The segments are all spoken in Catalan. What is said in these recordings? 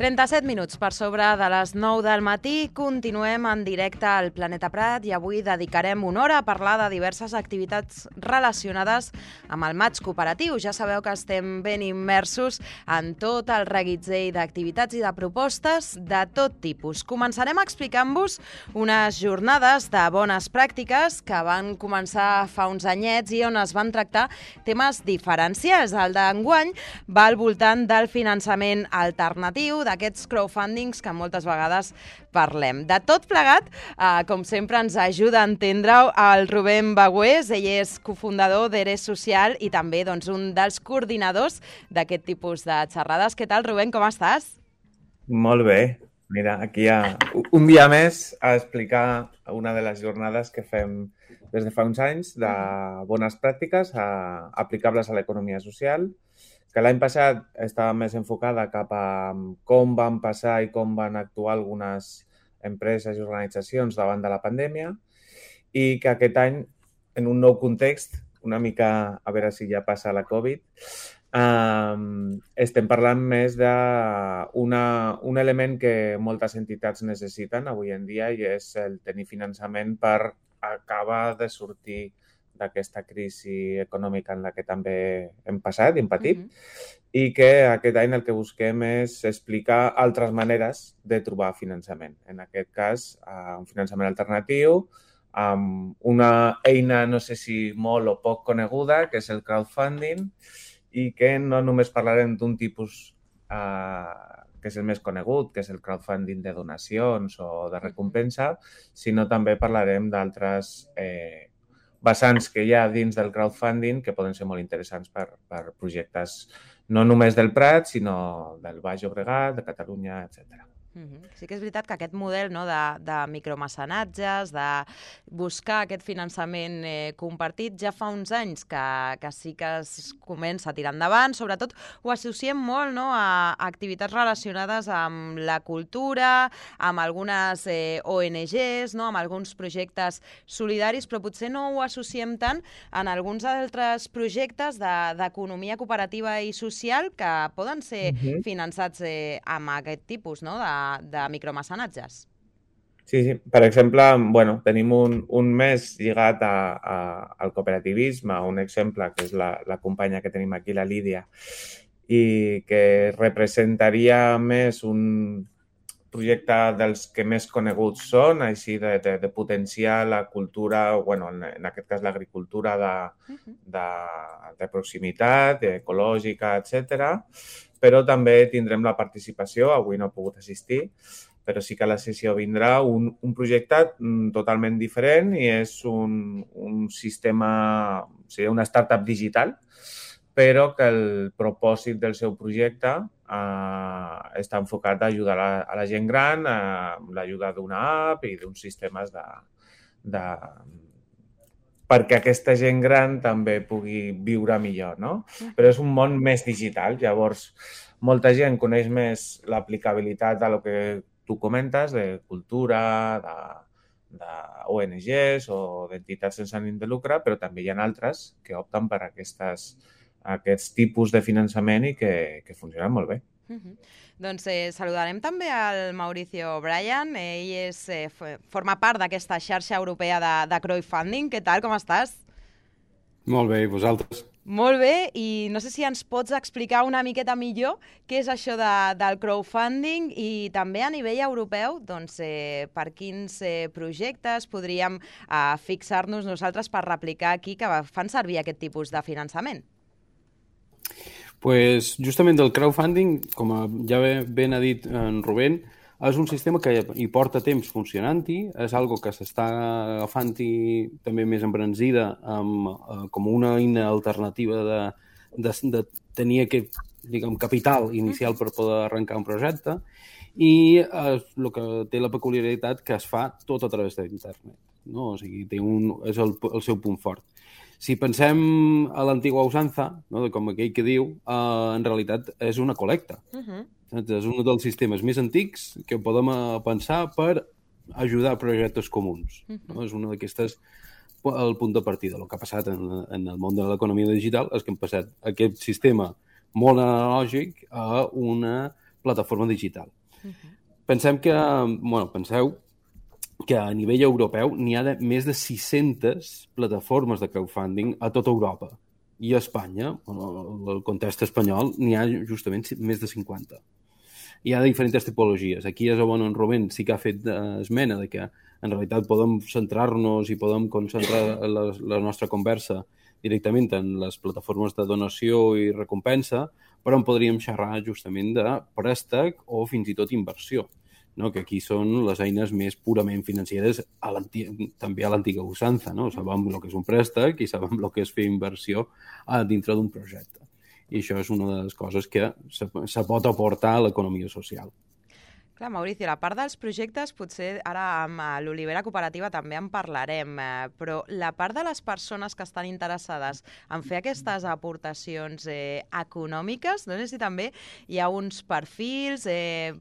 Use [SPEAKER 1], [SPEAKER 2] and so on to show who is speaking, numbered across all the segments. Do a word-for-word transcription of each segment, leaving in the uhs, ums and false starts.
[SPEAKER 1] trenta-set minuts per sobre de les nou del matí. Continuem en directe al Planeta Prat i avui dedicarem una hora a parlar de diverses activitats relacionades amb el maig cooperatiu. Ja sabeu que estem ben immersos en tot el reguitzell d'activitats i de propostes de tot tipus. Començarem explicant-vos unes jornades de bones pràctiques que van començar fa uns anyets i on es van tractar temes diferencials. El d'enguany va al voltant del finançament alternatiu, d'aquests crowdfundings que moltes vegades parlem. De tot plegat, eh, com sempre, ens ajuda a entendre-ho el Rubén Bagüés. Ell és cofundador d'Eres Social i també doncs, un dels coordinadors d'aquest tipus de xerrades. Què tal, Rubén? Com estàs?
[SPEAKER 2] Molt bé. Mira, aquí hi ha un dia més a explicar una de les jornades que fem des de fa uns anys de bones pràctiques a, aplicables a l'economia social, que l'any passat estava més enfocada cap a com van passar i com van actuar algunes empreses i organitzacions davant de la pandèmia i que aquest any, en un nou context, una mica a veure si ja passa la Covid, Um, estem parlant més d'un un element que moltes entitats necessiten avui en dia i és el tenir finançament per acabar de sortir d'aquesta crisi econòmica en la que també hem passat i hem patit mm-hmm. i que aquest any el que busquem és explicar altres maneres de trobar finançament. En aquest cas, uh, un finançament alternatiu amb una eina, no sé si molt o poc coneguda, que és el crowdfunding, i que no només parlarem d'un tipus eh, que és el més conegut, que és el crowdfunding de donacions o de recompensa, sinó també parlarem d'altres eh, vessants que hi ha dins del crowdfunding que poden ser molt interessants per, per projectes no només del Prat, sinó del Baix Llobregat, de Catalunya, etcètera.
[SPEAKER 1] Mm-hmm. Sí que és veritat que aquest model no, de, de micromecenatges, de buscar aquest finançament eh, compartit, ja fa uns anys que, que sí que es comença a tirar endavant. Sobretot ho associem molt no, a, a activitats relacionades amb la cultura, amb algunes eh, O N Ges, no, amb alguns projectes solidaris, però potser no ho associem tant en alguns altres projectes d'economia de, cooperativa i social que poden ser mm-hmm. finançats eh, amb aquest tipus no, de de micromecenatges.
[SPEAKER 2] Sí, sí. Per exemple, bueno, tenim un, un mes lligat a, a, al cooperativisme, un exemple que és la, la companya que tenim aquí, la Lídia, i que representaria més un projecte dels que més coneguts són, així de, de, de potenciar la cultura, bueno, en, en aquest cas l'agricultura de, de, de proximitat, ecològica, etcètera. Però també tindrem la participació, avui no he pogut assistir, però sí que a la sessió vindrà un, un projecte totalment diferent i és un, un sistema, seria una startup digital, però que el propòsit del seu projecte eh, està enfocat a ajudar a la, a la gent gran, a l'ajuda d'una app i d'uns sistemes de, de perquè aquesta gent gran també pugui viure millor, no? Però és un món més digital, llavors molta gent coneix més l'aplicabilitat de lo que tu comentes, de cultura, de, de O N Ges o d'entitats sense ànim de lucre, però també hi ha altres que opten per aquestes, aquests tipus de finançament i que, que funcionen molt bé.
[SPEAKER 1] Uh-huh. Doncs eh, saludarem també al Mauricio Bryan. Ell és, eh, forma part d'aquesta xarxa europea de, de crowdfunding. Què tal, com estàs?
[SPEAKER 3] Molt bé, i vosaltres?
[SPEAKER 1] Molt bé, i no sé si ens pots explicar una miqueta millor què és això de, del crowdfunding i també a nivell europeu, doncs, eh, per quins eh, projectes podríem eh, fixar-nos nosaltres per replicar aquí que fan servir aquest tipus de finançament.
[SPEAKER 3] Pues justament el crowdfunding, com ja ben ha dit en Rubén, és un sistema que hi porta temps funcionant-hi, és algo que s'està agafant-hi també més embranzida amb, eh, com una eina alternativa de, de, de tenir aquest, diguem, capital inicial per poder arrencar un projecte i eh, el que té la peculiaritat que es fa tot a través d'internet, no? O sigui, té un, és el, el seu punt fort. Si pensem a l'antigua usanza, no, com aquell que diu, eh, en realitat és una col·lecta. Uh-huh. És un dels sistemes més antics que podem pensar per ajudar a projectes comuns. Uh-huh. No? És una d'aquestes, el punt de partida. El que ha passat en, en el món de l'economia digital és que hem passat aquest sistema molt analògic a una plataforma digital. Uh-huh. Pensem que, bueno, penseu que a nivell europeu n'hi ha de, més de sis-centes plataformes de crowdfunding a tota Europa. I a Espanya, en el context espanyol, n'hi ha justament més de cinquanta. Hi ha diferents tipologies. Aquí és on en Rubén sí que ha fet esmena de que en realitat podem centrar-nos i podem concentrar la, la nostra conversa directament en les plataformes de donació i recompensa, però en podríem xerrar justament de préstec o fins i tot inversió, no? Que aquí són les eines més purament financeres a també a l'antiga usança, no? Sabem el que és un préstec i sabem el que és fer inversió dintre d'un projecte. I això és una de les coses que se, se pot aportar a l'economia social.
[SPEAKER 1] Clar, Mauricio, la part dels projectes, potser ara amb l'Olivera Cooperativa també en parlarem, eh, però la part de les persones que estan interessades en fer aquestes aportacions eh, econòmiques, no sé si també hi ha uns perfils, eh,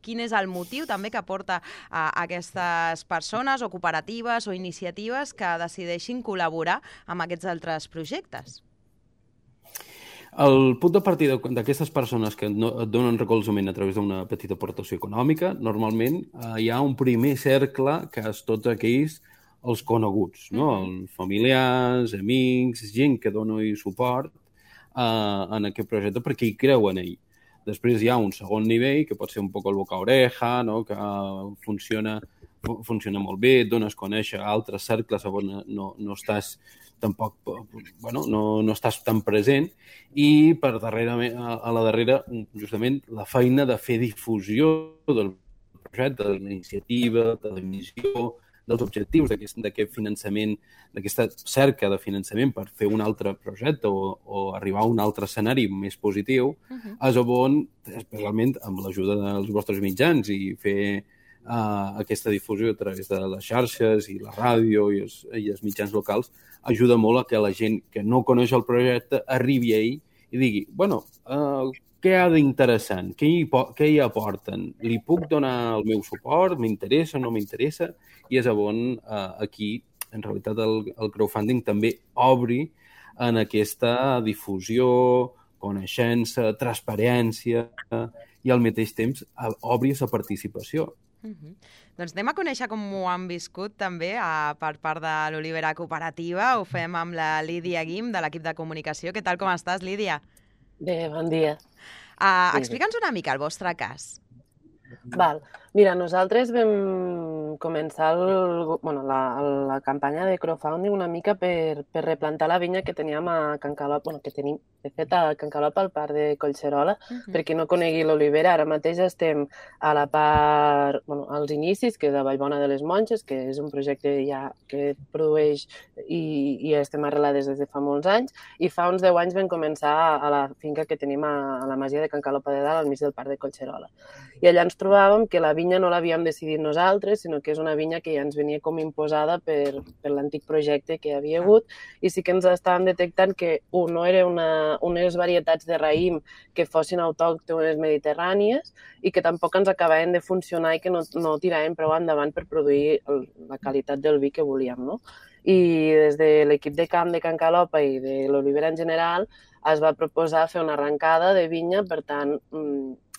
[SPEAKER 1] quin és el motiu també que porta a aquestes persones o cooperatives o iniciatives que decideixin col·laborar amb aquests altres projectes?
[SPEAKER 3] El punt de partida d'aquestes persones que no, et donen recolzament a través d'una petita aportació econòmica, normalment eh, hi ha un primer cercle que és tots aquells els coneguts, no? Els familiars, amics, gent que dona suport eh, en aquest projecte perquè hi creuen ell. Després hi ha un segon nivell, que pot ser un poc el boca a oreja, no? Que funciona, funciona molt bé, et dones a conèixer altres cercles on no, no estàs tampoc, bueno, no, no estàs tan present, i per darrere, a la darrera, justament, la feina de fer difusió del projecte, de l'iniciativa, de la missió, dels objectius d'aquest finançament, d'aquesta cerca de finançament per fer un altre projecte o, o arribar a un altre escenari més positiu, uh-huh. és on, especialment amb l'ajuda dels vostres mitjans i fer uh, aquesta difusió a través de les xarxes i la ràdio i els, i els mitjans locals, ajuda molt a que la gent que no coneix el projecte arribi a ell i digui, bueno, uh, què ha d'interessant? Què hi, què hi aporten? Li puc donar el meu suport? M'interessa o no m'interessa? I és on uh, aquí, en realitat, el, el crowdfunding també obri en aquesta difusió, coneixença, transparència i al mateix temps obri aquesta participació.
[SPEAKER 1] Uh-huh. Doncs anem a conèixer com ho han viscut també a, per part de l'Olivera Cooperativa. Ho fem amb la Lídia Guim, de l'equip de comunicació. Què tal, com estàs, Lídia?
[SPEAKER 4] Bé, bon dia.
[SPEAKER 1] Uh, Explica'ns una mica el vostre cas.
[SPEAKER 4] Val. Mira, nosaltres vam començar el, bueno, la, la campanya de crowdfunding una mica per, per replantar la vinya que teníem a Can Calop, bueno, que tenim, de fet, a Can Calop al parc de Collserola. Uh-huh. Per qui no conegui l'olivera, ara mateix estem a la part, bueno, als inicis, que és a Vallbona de les Monges, que és un projecte ja que produeix i, i estem arrelades des de fa molts anys, i fa uns deu anys vam començar a la finca que tenim a, a la masia de Can Calop de Dalt, al mig del parc de Collserola. I allà ens trobàvem que la vinya no l'havíem decidit nosaltres, sinó que és una vinya que ja ens venia com imposada per, per l'antic projecte que hi havia hagut, i sí que ens estàvem detectant que un, no era una, unes varietats de raïm que fossin autòctones mediterrànies i que tampoc ens acabaven de funcionar i que no, no tiraven prou endavant per produir el, la qualitat del vi que volíem, no? I des de l'equip de camp de Can Calopa i de l'olivera en general es va proposar fer una arrencada de vinya, per tant,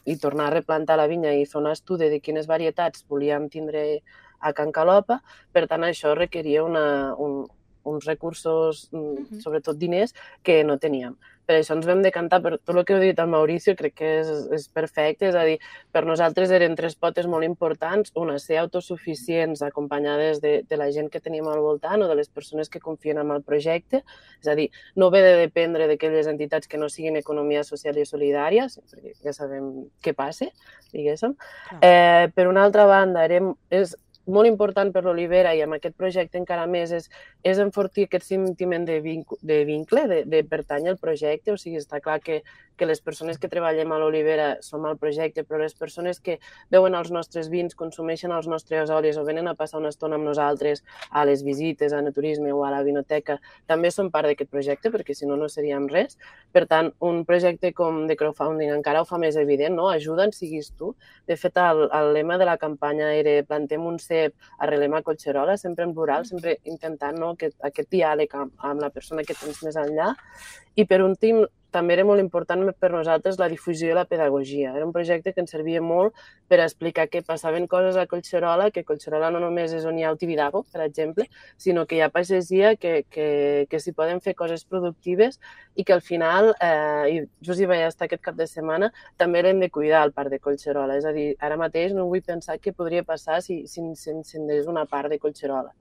[SPEAKER 4] i tornar a replantar la vinya i fer un estudi de quines varietats volíem tindre a Can Calopa. Per tant, això requeria una, un, uns recursos, uh-huh. sobretot diners, que no teníem. Per això ens vam decantar per tot el que heu dit al Mauricio, crec que és, és perfecte, és a dir, per nosaltres eren tres potes molt importants, una, ser autosuficients, acompanyades de, de la gent que tenim al voltant o de les persones que confien en el projecte, és a dir, no haver de dependre d'aquelles entitats que no siguin economia social i solidària, perquè ja sabem què passa, diguéssim. Eh, per una altra banda, érem, és molt important per l'olivera i amb aquest projecte encara més és, és enfortir aquest sentiment de, vinc, de vincle, de, de pertànyer al projecte. O sigui, està clar que, que les persones que treballem a l'olivera som al projecte, però les persones que veuen els nostres vins, consumeixen els nostres olis o venen a passar una estona amb nosaltres a les visites, a turisme o a la vinoteca, també són part d'aquest projecte, perquè si no, no seríem res. Per tant, un projecte com de crowdfunding encara ho fa més evident, no? Ajuda'ns, siguis tu. De fet, el, el lema de la campanya era plantem un cep, arrelem a Collserola, sempre en plural, sempre intentant, no, aquest, aquest diàleg amb, amb la persona que tens més enllà. I per últim, també era molt important per nosaltres la difusió i la pedagogia. Era un projecte que ens servia molt per explicar que passaven coses a Collserola, que Collserola no només és on hi ha el Tibidabo, per exemple, sinó que hi ha pagesia, que, que, que s'hi poden fer coses productives i que al final, eh, i just hi vaig estar aquest cap de setmana, també l'hem de cuidar al parc de Collserola. És a dir, ara mateix no vull pensar què podria passar si s'encendés una part de Collserola.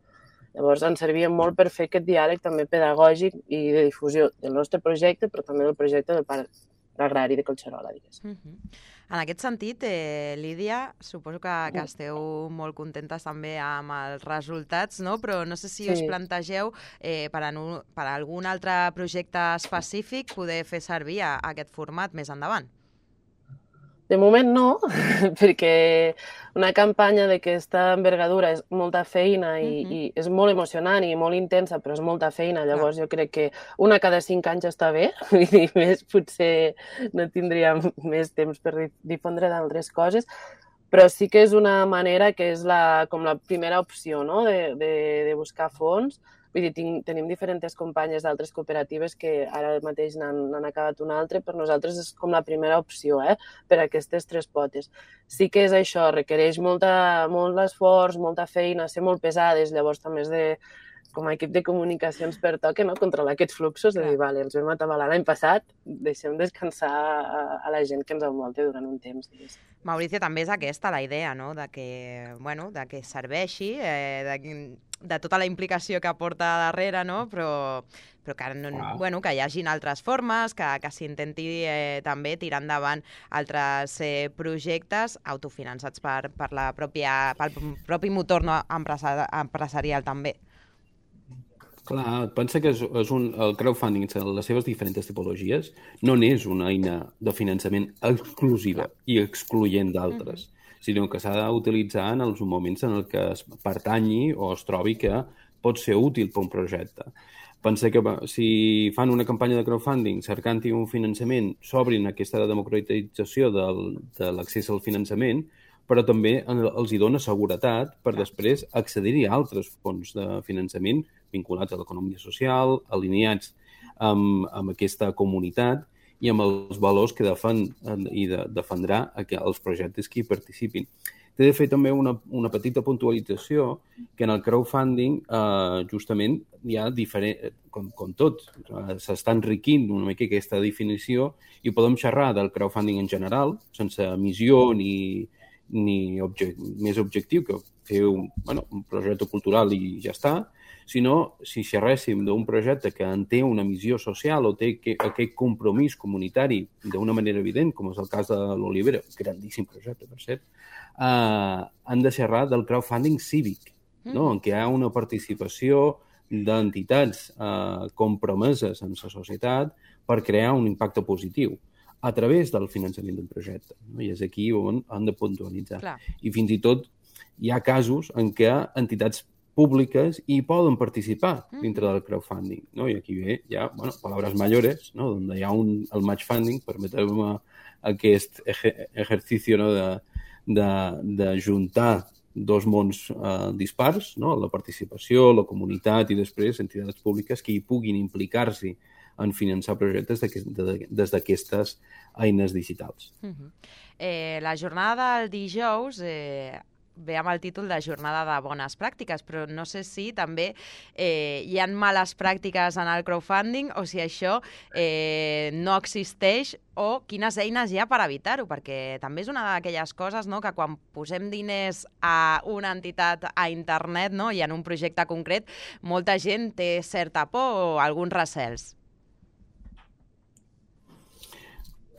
[SPEAKER 4] Llavors, ens servia molt per fer aquest diàleg també pedagògic i de difusió del nostre projecte, però també del projecte del Parc Agrari de Collserola, diguéssim.
[SPEAKER 1] Uh-huh. En aquest sentit, eh, Lídia, suposo que, que esteu molt contentes també amb els resultats, no? Però no sé si sí. us plantegeu eh, per, a, per a algun altre projecte específic poder fer servir a, a aquest format més endavant.
[SPEAKER 4] De moment no, perquè una campanya d'aquesta envergadura és molta feina i, uh-huh. i és molt emocionant i molt intensa, però és molta feina. Llavors jo crec que una cada cinc anys està bé, i més potser no tindríem més temps per difondre d'altres coses, però sí que és una manera que és la, com la primera opció, no? de, de, de buscar fons. Vull dir, tinc, tenim diferents companyes d'altres cooperatives que ara mateix n'han acabat una altra, per nosaltres és com la primera opció, eh? Per a aquestes tres potes. Sí que és això, requereix molta, molt esforç, molta feina, ser molt pesades, llavors també és de, com a equip de comunicacions pertoca, no? Controlar aquests fluxos, de dir, vale, ens vam atabalar l'any passat, deixem descansar a, a la gent que ens envolta durant un temps. Digues.
[SPEAKER 1] Mauricio, també és aquesta la idea, no? De que, bueno, de que serveixi, eh, de, de tota la implicació que aporta darrere, no? Però, però que, no, ah. bueno, que hi hagin altres formes, que, que s'intenti eh, també tirar endavant altres eh, projectes autofinançats per, per la pròpia, pel propi motor no, empresari, empresarial també.
[SPEAKER 3] Clar, pensa que és, és un, el crowdfunding, les seves diferents tipologies, no n'és una eina de finançament exclusiva i excloent d'altres, uh-huh. sinó que s'ha d'utilitzar en els moments en què es pertanyi o es trobi que pot ser útil per un projecte. Pensa que si fan una campanya de crowdfunding cercant-hi un finançament, s'obrin aquesta democratització del, de l'accés al finançament, però també els hi dona seguretat per després accedir-hi a altres fons de finançament vinculats a l'economia social, alineats amb, amb aquesta comunitat i amb els valors que defen i de, defendrà els projectes que hi participin. T'he de fer també una, una petita puntualització que en el crowdfunding eh, justament hi ha diferent, com, com tot, eh, s'està enriquint una mica aquesta definició i podem xerrar del crowdfunding en general, sense missió ni ni object, més objectiu que fer un, bueno, un projecte cultural i ja està, sinó si xerréssim d'un projecte que en té una missió social o té que, aquest compromís comunitari d'una manera evident, com és el cas de l'Olivera, grandíssim projecte, per cert, eh, han de xerrar del crowdfunding cívic, no? En què hi ha una participació d'entitats eh, compromeses en la societat per crear un impacte positiu a través del finançament d'un projecte. No? I és aquí on han de puntualitzar. Clar. I fins i tot hi ha casos en què entitats públiques hi poden participar dintre del crowdfunding. No? I aquí ve ja, bueno, palabras mayores, no? On hi ha un, el match funding, permeteu-me aquest eje, exercici no? de, de, de juntar dos mons eh, dispars, no? La participació, la comunitat i després entitats públiques que hi puguin implicar-s'hi en finançar projectes des d'aquestes eines digitals.
[SPEAKER 1] Uh-huh. eh, la jornada del dijous eh, ve amb el títol de Jornada de Bones Pràctiques, però no sé si també eh, hi ha males pràctiques en el crowdfunding o si això eh, no existeix o quines eines hi ha per evitar-ho, perquè també és una d'aquelles coses, no?, que quan posem diners a una entitat a internet, no?, i en un projecte concret, molta gent té certa por o alguns recels.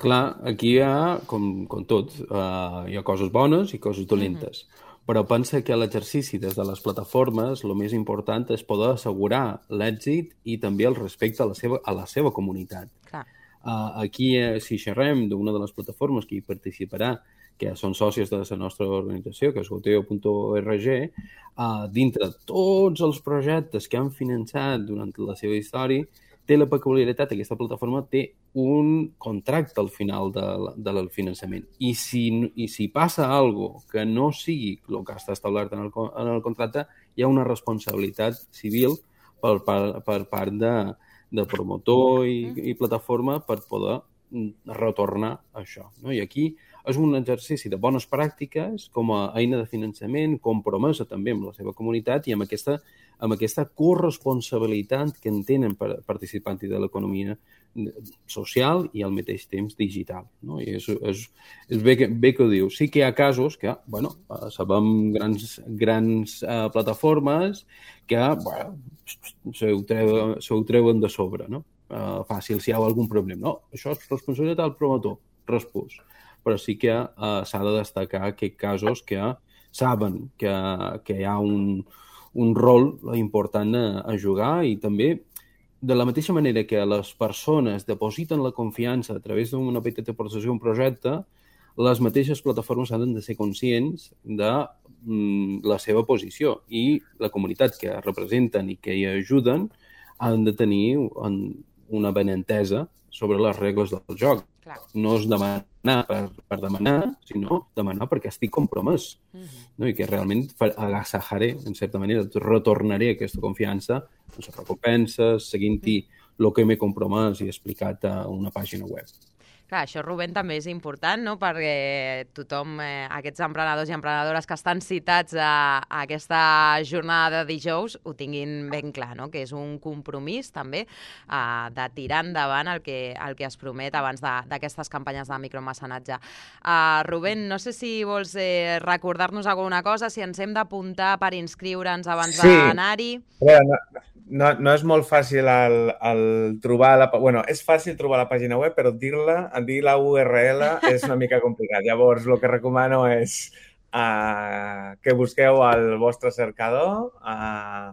[SPEAKER 3] Clar, aquí hi ha, com, com tot, uh, hi ha coses bones i coses dolentes. Mm-hmm. Però pensa que l'exercici des de les plataformes, el més important és poder assegurar l'èxit i també el respecte a la seva, a la seva comunitat. Clar. Uh, aquí, eh, si xerrem d'una de les plataformes que hi participarà, que són sòcies de la nostra organització, que és goteo punt org, uh, dintre de tots els projectes que han finançat durant la seva història, té la peculiaritat, aquesta plataforma té un contracte al final de, de del finançament. I si, i si passa alguna cosa que no sigui el que està establert en el, en el contracte, hi ha una responsabilitat civil per, per, per part de, de promotor i, i plataforma per poder retornar això. No? I aquí és un exercici de bones pràctiques com a eina de finançament, compromesa també amb la seva comunitat i amb aquesta, amb aquesta corresponsabilitat que en tenen per participants de l'economia social i al mateix temps digital. No? I és, és, és bé, que, bé que ho diu. Sí que hi ha casos que, bueno, sabem grans, grans uh, plataformes que, bueno, se ho treuen, se ho treuen de sobre, no? Uh, fàcil, si hi ha algun problema. No, això és responsabilitat del promotor, respòs. Però sí que uh, s'ha de destacar aquests casos que saben que, que hi ha un, un rol important a, a jugar i també de la mateixa manera que les persones depositen la confiança a través d'una petita aportació a un projecte, les mateixes plataformes han de ser conscients de mm, la seva posició i la comunitat que representen i que hi ajuden han de tenir un, una benentesa sobre les regles del joc.
[SPEAKER 1] Clar.
[SPEAKER 3] No és demanar per, per demanar, sinó demanar perquè estic compromès. Uh-huh. No? I que realment agasajaré, en certa manera, retornaré aquesta confiança en les recompenses, seguint-hi el que m'he compromès i explicat a una pàgina web.
[SPEAKER 1] Clar, això, Rubén, també és important, no?, perquè tothom, eh, aquests emprenedors i emprenedores que estan citats a, a aquesta jornada de dijous ho tinguin ben clar, no?, que és un compromís també eh, de tirar endavant el que, el que es promet abans d'aquestes campanyes de micromecenatge. Uh, Rubén, no sé si vols eh, recordar-nos alguna cosa, si ens hem d'apuntar per inscriure'ns abans
[SPEAKER 2] sí.
[SPEAKER 1] d'anar-hi.
[SPEAKER 2] No, no, no és molt fàcil el, el trobar... La, bueno, és fàcil trobar la pàgina web, però dir-la, dir la U R L és una mica complicat. Llavors, el que recomano és uh, que busqueu al vostre cercador uh,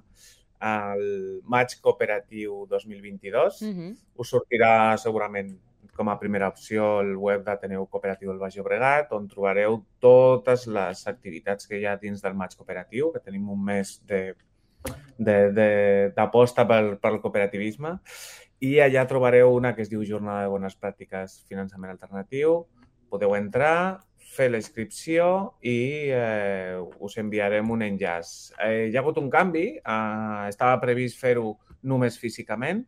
[SPEAKER 2] el Maig Cooperatiu dos mil vint-i-dos. Uh-huh. Us sortirà segurament com a primera opció el web d'Ateneu Cooperatiu del Baix Llobregat, on trobareu totes les activitats que hi ha dins del Maig Cooperatiu, que tenim un mes de d'aposta pel, pel cooperativisme, i allà trobareu una que es diu Jornada de Bones Pràctiques Finançament Alternatiu. Podeu entrar, fer la inscripció i eh, us enviarem un enllaç. Eh, hi ha hagut un canvi, eh, estava previst fer-ho només físicament.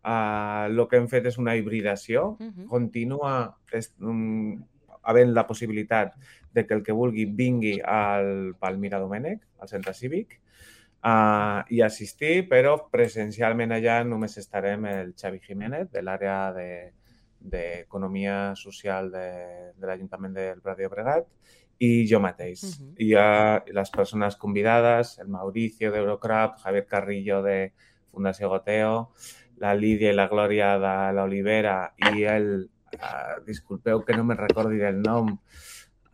[SPEAKER 2] Eh, el que hem fet és una hibridació. Uh-huh. Continua és, um, havent la possibilitat de que el que vulgui vingui al Palmira Domènech, al centre cívic, Uh, i assistir, però presencialment allà només estarem el Xavi Jiménez, de l'àrea d'Economia de, Social de, de l'Ajuntament del Prat de Llobregat, i jo mateix. Uh-huh. I uh, les persones convidades, el Mauricio d'Eurocrab, Javier Carrillo de Fundació Goteo, la Lídia i la Glòria de l'Olivera i el, uh, disculpeu que no me recordi el nom,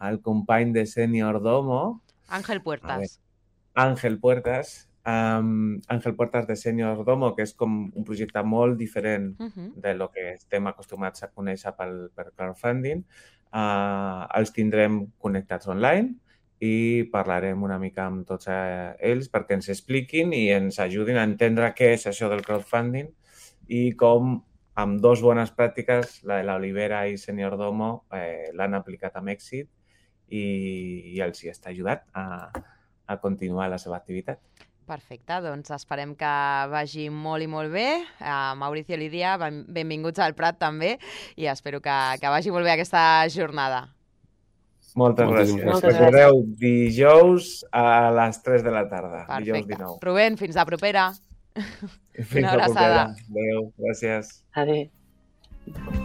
[SPEAKER 2] el company de Senior Domo.
[SPEAKER 1] Ángel Puertas.
[SPEAKER 2] Ángel Puertas, um, Ángel Puertas de Senior Domo, que és com un projecte molt diferent uh-huh. de lo que estem acostumats a conèixer pel, per crowdfunding. Uh, els tindrem connectats online i parlarem una mica amb tots eh, ells perquè ens expliquin i ens ajudin a entendre què és això del crowdfunding i com amb dos bones pràctiques, la de l'Olivera i Senior Domo, eh, l'han aplicat amb èxit i, i els hi està ajudat a a continuar la seva activitat.
[SPEAKER 1] Perfecte, doncs esperem que vagi molt i molt bé. Uh, Mauricio i Lídia, ben, benvinguts al Prat també i espero que, que vagi molt bé aquesta jornada.
[SPEAKER 2] Moltes, Moltes gràcies. Moltes Recordeu gràcies. Dijous a les tres de la tarda.
[SPEAKER 1] Perfecte.
[SPEAKER 2] Dijous dinou.
[SPEAKER 1] Rubén, fins la propera.
[SPEAKER 2] Fins la propera. Adéu, gràcies.
[SPEAKER 4] Adéu.